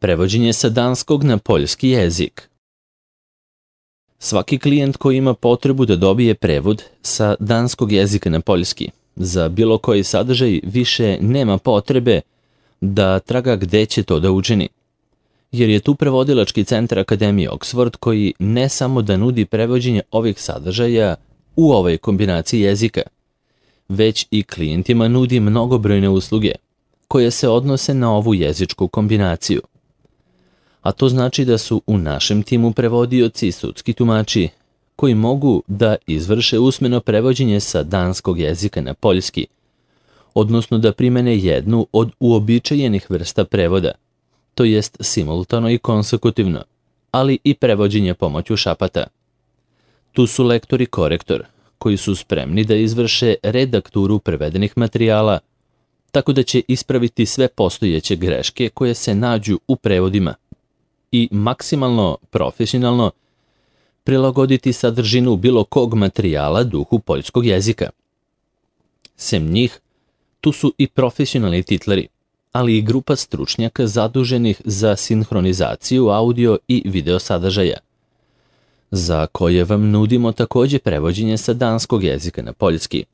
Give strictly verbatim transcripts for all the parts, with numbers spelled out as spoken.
Prevođenje sa danskog na poljski jezik. Svaki klijent koji ima potrebu da dobije prevod sa danskog jezika na poljski za bilo koji sadržaj više nema potrebe da traga gde će to da učini. Jer je tu prevodilački centar Akademije Oxford koji ne samo da nudi prevođenje ovih sadržaja u ovoj kombinaciji jezika, već i klijentima nudi mnogobrojne usluge koje se odnose na ovu jezičku kombinaciju. A to znači da su u našem timu prevodioci i sudski tumači koji mogu da izvrše usmeno prevođenje sa danskog jezika na poljski, odnosno da primene jednu od uobičajenih vrsta prevoda, to jest simultano i konsekutivno, ali i prevođenje pomoću šapata. Tu su lektor i korektor, koji su spremni da izvrše redakturu prevedenih materijala, tako da će ispraviti sve postojeće greške koje se nađu u prevodima i maksimalno profesionalno prilagoditi sadržinu bilo kog materijala duhu poljskog jezika. Sem njih, tu su i profesionalni titleri, ali i grupa stručnjaka zaduženih za sinhronizaciju audio i video sadržaja, za koje vam nudimo takođe prevođenje sa danskog jezika na poljski,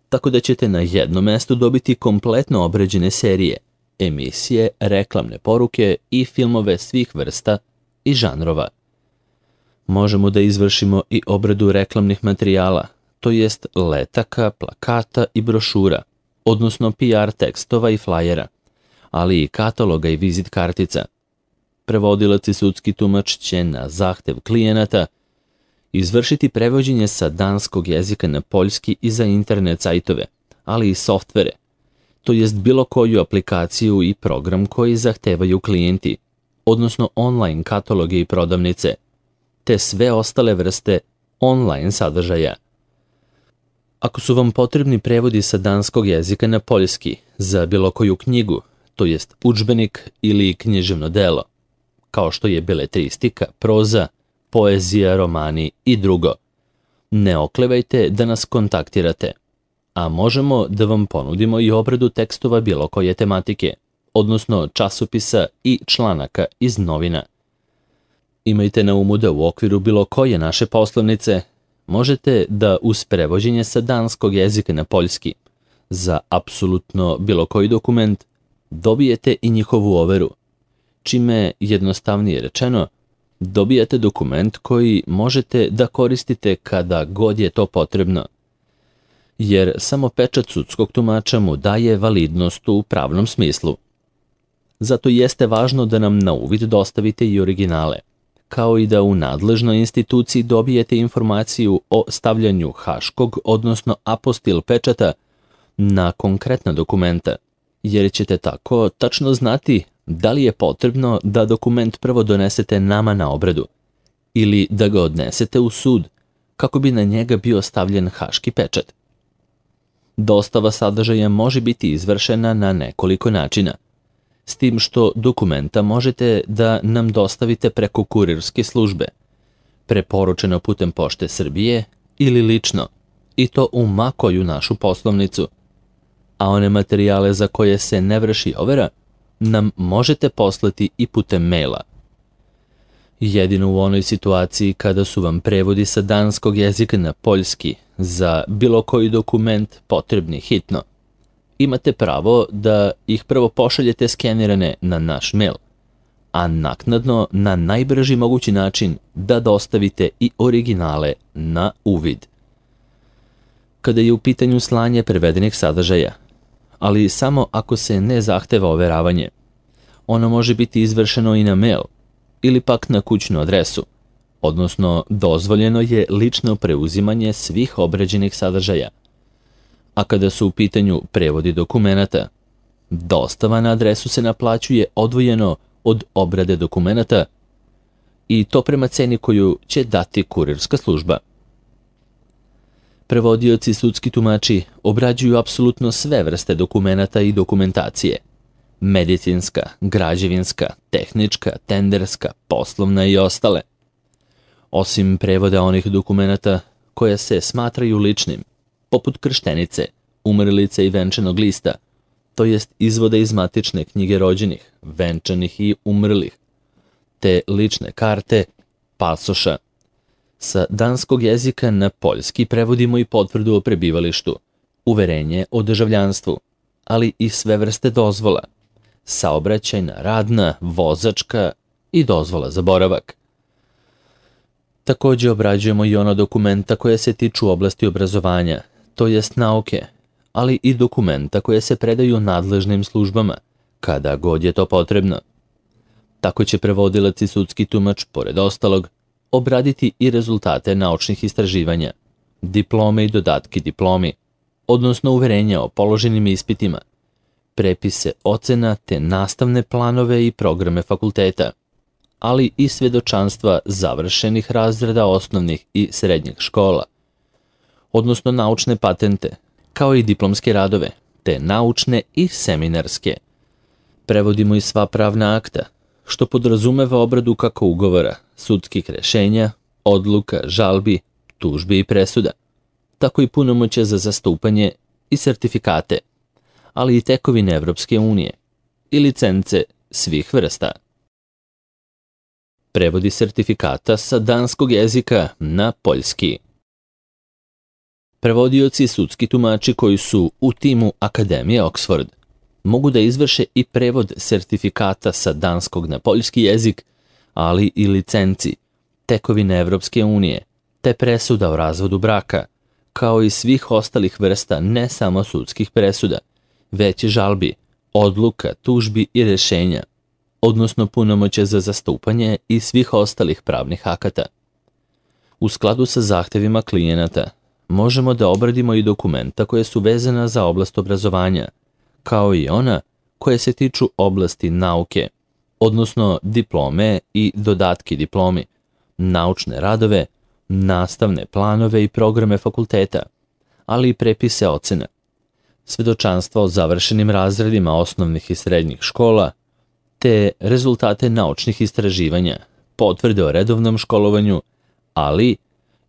tako da ćete na jednom mestu dobiti kompletno obrađene serije, emisije, reklamne poruke i filmove svih vrsta i žanrova. Možemo da izvršimo i obradu reklamnih materijala, to jest letaka, plakata i brošura, odnosno P R tekstova i flajera, ali i kataloga i vizit kartica. Prevodilac i sudski tumač će na zahtev klijenata izvršiti prevođenje sa danskog jezika na poljski i za internet sajtove, ali i softvere, to jest bilo koju aplikaciju i program koji zahtevaju klijenti, odnosno online kataloge i prodavnice, te sve ostale vrste online sadržaja. Ako su vam potrebni prevodi sa danskog jezika na poljski za bilo koju knjigu, to jest udžbenik ili književno delo, kao što je beletristika, proza, poezija, romani i drugo, ne oklevajte da nas kontaktirate, a možemo da vam ponudimo i obradu tekstova bilo koje tematike, odnosno časopisa i članaka iz novina. Imajte na umu da u okviru bilo koje naše poslovnice možete da uz prevođenje sa danskog jezika na poljski za apsolutno bilo koji dokument dobijete i njihovu overu, čime jednostavnije rečeno dobijate dokument koji možete da koristite kada god je to potrebno, jer samo pečat sudskog tumača mu daje validnost u pravnom smislu. Zato jeste važno da nam na uvid dostavite i originale, kao i da u nadležnoj instituciji dobijete informaciju o stavljanju haškog, odnosno apostil pečata na konkretna dokumenta, jer ćete tako tačno znati da li je potrebno da dokument prvo donesete nama na obradu ili da ga odnesete u sud kako bi na njega bio stavljen haški pečat. Dostava sadržaja može biti izvršena na nekoliko načina, s tim što dokumenta možete da nam dostavite preko kurirske službe, preporučeno putem Pošte Srbije ili lično, i to u ma koju našu poslovnicu, a one materijale za koje se ne vrši overa nam možete poslati i putem maila. Jedino u onoj situaciji kada su vam prevodi sa danskog jezika na poljski za bilo koji dokument potrebni hitno, imate pravo da ih prvo pošaljete skenirane na naš mail, a naknadno na najbrži mogući način da dostavite i originale na uvid. Kada je u pitanju slanje prevedenih sadržaja, ali samo ako se ne zahteva overavanje, ono može biti izvršeno i na mail ili pak na kućnu adresu, odnosno dozvoljeno je lično preuzimanje svih obrađenih sadržaja. A kada su u pitanju prevodi dokumenata, dostava na adresu se naplaćuje odvojeno od obrade dokumenata i to prema ceni koju će dati kurirska služba. Prevodioci i sudski tumači obrađuju apsolutno sve vrste dokumenata i dokumentacije, medicinska, građevinska, tehnička, tenderska, poslovna i ostale. Osim prevoda onih dokumenata koje se smatraju ličnim, poput krštenice, umrlice i venčanog lista, to jest izvode iz matične knjige rođenih, venčanih i umrlih, te lične karte, pasoša. Sa danskog jezika na poljski prevodimo i potvrdu o prebivalištu, uverenje o državljanstvu, ali i sve vrste dozvola, saobraćajna, radna, vozačka i dozvola za boravak. Također obrađujemo i ona dokumenta koje se tiču oblasti obrazovanja, to jest nauke, ali i dokumenta koje se predaju nadležnim službama, kada god je to potrebno. Tako će prevodilac i sudski tumač, pored ostalog, obraditi i rezultate naučnih istraživanja, diplome i dodatki diplomi, odnosno uverenja o položenim ispitima, prepise ocena te nastavne planove i programe fakulteta, ali i svjedočanstva završenih razreda osnovnih i srednjih škola, odnosno naučne patente, kao i diplomske radove, te naučne i seminarske. Prevodimo i sva pravna akta, što podrazumeva obradu kako ugovora, sudskih rešenja, odluka, žalbi, tužbi i presuda, tako i punomoćja za zastupanje i sertifikate, ali i tekovine Evropske unije i licence svih vrsta. Prevodi sertifikata sa danskog jezika na poljski. Prevodioci i sudski tumači koji su u timu Akademije Oxford mogu da izvrše i prevod sertifikata sa danskog na poljski jezik, ali i licenci, tekovine Evropske unije, te presuda o razvodu braka, kao i svih ostalih vrsta ne samo sudskih presuda, već i žalbi, odluka, tužbi i rešenja, odnosno punomoće za zastupanje i svih ostalih pravnih akata. U skladu sa zahtevima klijenata, možemo da obradimo i dokumenta koje su vezana za oblast obrazovanja, kao i ona koje se tiču oblasti nauke, odnosno diplome i dodatki diplomi, naučne radove, nastavne planove i programe fakulteta, ali i prepise ocena, svedočanstva o završenim razredima osnovnih i srednjih škola, te rezultate naučnih istraživanja, potvrde o redovnom školovanju, ali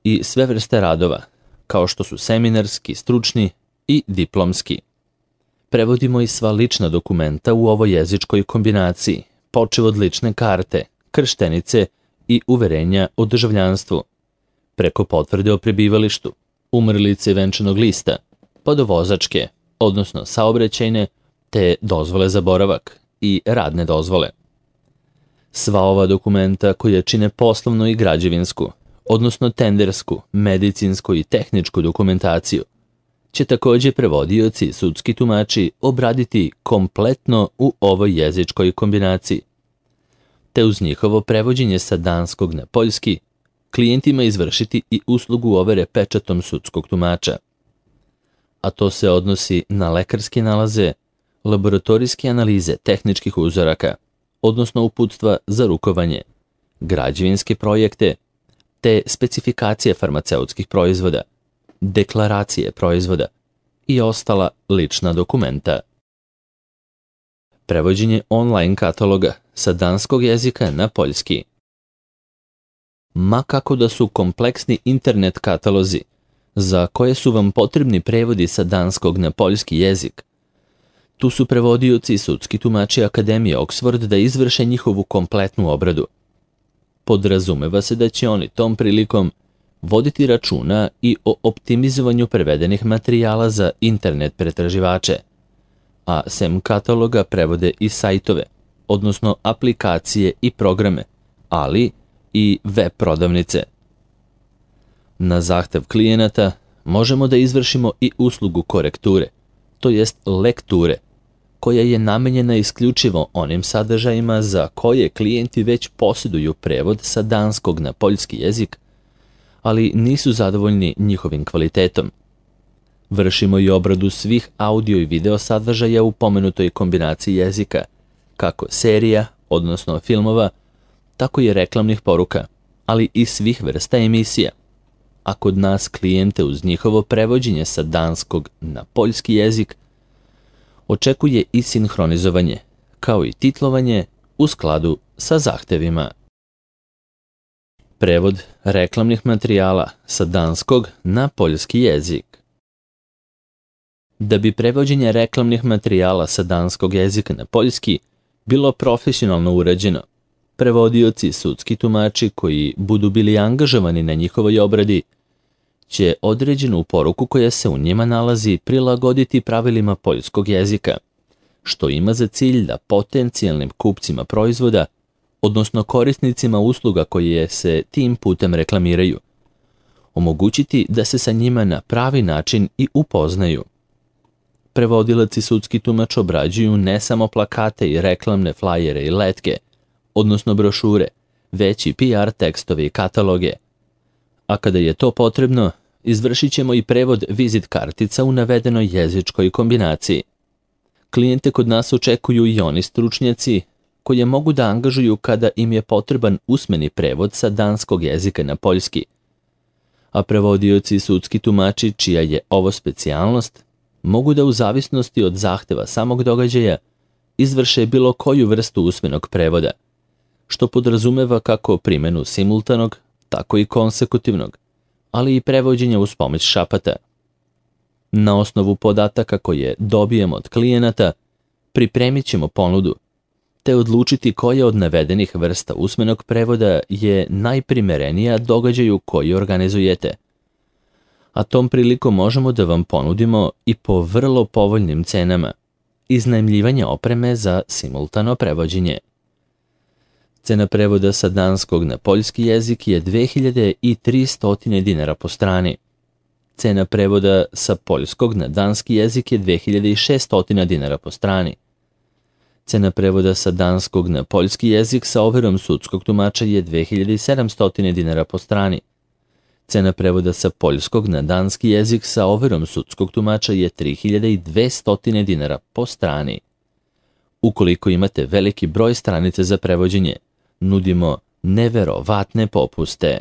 i sve vrste radova, kao što su seminarski, stručni i diplomski. Prevodimo i sva lična dokumenta u ovoj jezičkoj kombinaciji, počev od lične karte, krštenice i uverenja o državljanstvu, preko potvrde o prebivalištu, umrlice i venčanog lista, pa do vozačke, odnosno saobraćajne, te dozvole za boravak i radne dozvole. Sva ova dokumenta koja čine poslovnu i građevinsku, odnosno tendersku, medicinsku i tehničku dokumentaciju, će također prevodioci i sudski tumači obraditi kompletno u ovoj jezičkoj kombinaciji, te uz njihovo prevođenje sa danskog na poljski klijentima izvršiti i uslugu overe pečatom sudskog tumača. A to se odnosi na lekarske nalaze, laboratorijske analize tehničkih uzoraka, odnosno uputstva za rukovanje, građevinske projekte, te specifikacije farmaceutskih proizvoda, deklaracije proizvoda i ostala lična dokumenta. Prevođenje online kataloga sa danskog jezika na poljski. Ma kako da su kompleksni internet katalozi, za koje su vam potrebni prevodi sa danskog na poljski jezik, tu su prevodioci i sudski tumači Akademije Oxford da izvrše njihovu kompletnu obradu. Podrazumeva se da će oni tom prilikom voditi računa i o optimizovanju prevedenih materijala za internet pretraživače, a sem kataloga prevode i sajtove, odnosno aplikacije i programe, ali i web prodavnice. Na zahtev klijenata možemo da izvršimo i uslugu korekture, to jest lekture, koja je namenjena isključivo onim sadržajima za koje klijenti već posjeduju prevod sa danskog na poljski jezik, ali nisu zadovoljni njihovim kvalitetom. Vršimo i obradu svih audio i video sadržaja u pomenutoj kombinaciji jezika, kako serija, odnosno filmova, tako i reklamnih poruka, ali i svih vrsta emisija. A kod nas klijente uz njihovo prevođenje sa danskog na poljski jezik očekuje i sinhronizovanje, kao i titlovanje u skladu sa zahtevima. Prevod reklamnih materijala sa danskog na poljski jezik. Da bi prevođenje reklamnih materijala sa danskog jezika na poljski bilo profesionalno urađeno, prevodioci i sudski tumači koji budu bili angažovani na njihovoj obradi će određenu poruku koja se u njima nalazi prilagoditi pravilima poljskog jezika, što ima za cilj da potencijalnim kupcima proizvoda, odnosno korisnicima usluga koje se tim putem reklamiraju, omogućiti da se sa njima na pravi način i upoznaju. Prevodilac i sudski tumač obrađuju ne samo plakate i reklamne flajere i letke, odnosno brošure, već i P R tekstove i kataloge. A kada je to potrebno, izvršit ćemo i prevod vizit kartica u navedenoj jezičkoj kombinaciji. Klijente kod nas očekuju i oni stručnjaci koje mogu da angažuju kada im je potreban usmeni prevod sa danskog jezika na poljski. A prevodioci i sudski tumači, čija je ovo specijalnost, mogu da u zavisnosti od zahteva samog događaja izvrše bilo koju vrstu usmenog prevoda, što podrazumeva kako primjenu simultanog, tako i konsekutivnog, ali i prevođenja uz pomoć šapata. Na osnovu podataka koje dobijemo od klijenata, pripremit ćemo ponudu, te odlučiti koja od navedenih vrsta usmenog prevoda je najprimerenija događaju koji organizujete. A tom prilikom možemo da vam ponudimo i po vrlo povoljnim cenama iznajmljivanje opreme za simultano prevođenje. Cena prevoda sa danskog na poljski jezik je dve hiljade tristo dinara po strani. Cena prevoda sa poljskog na danski jezik je dve hiljade šesto dinara po strani. Cena prevoda sa danskog na poljski jezik sa overom sudskog tumača je dve hiljade sedamsto dinara po strani. Cena prevoda sa poljskog na danski jezik sa overom sudskog tumača je tri hiljade dvesta dinara po strani. Ukoliko imate veliki broj stranica za prevođenje, nudimo neverovatne popuste.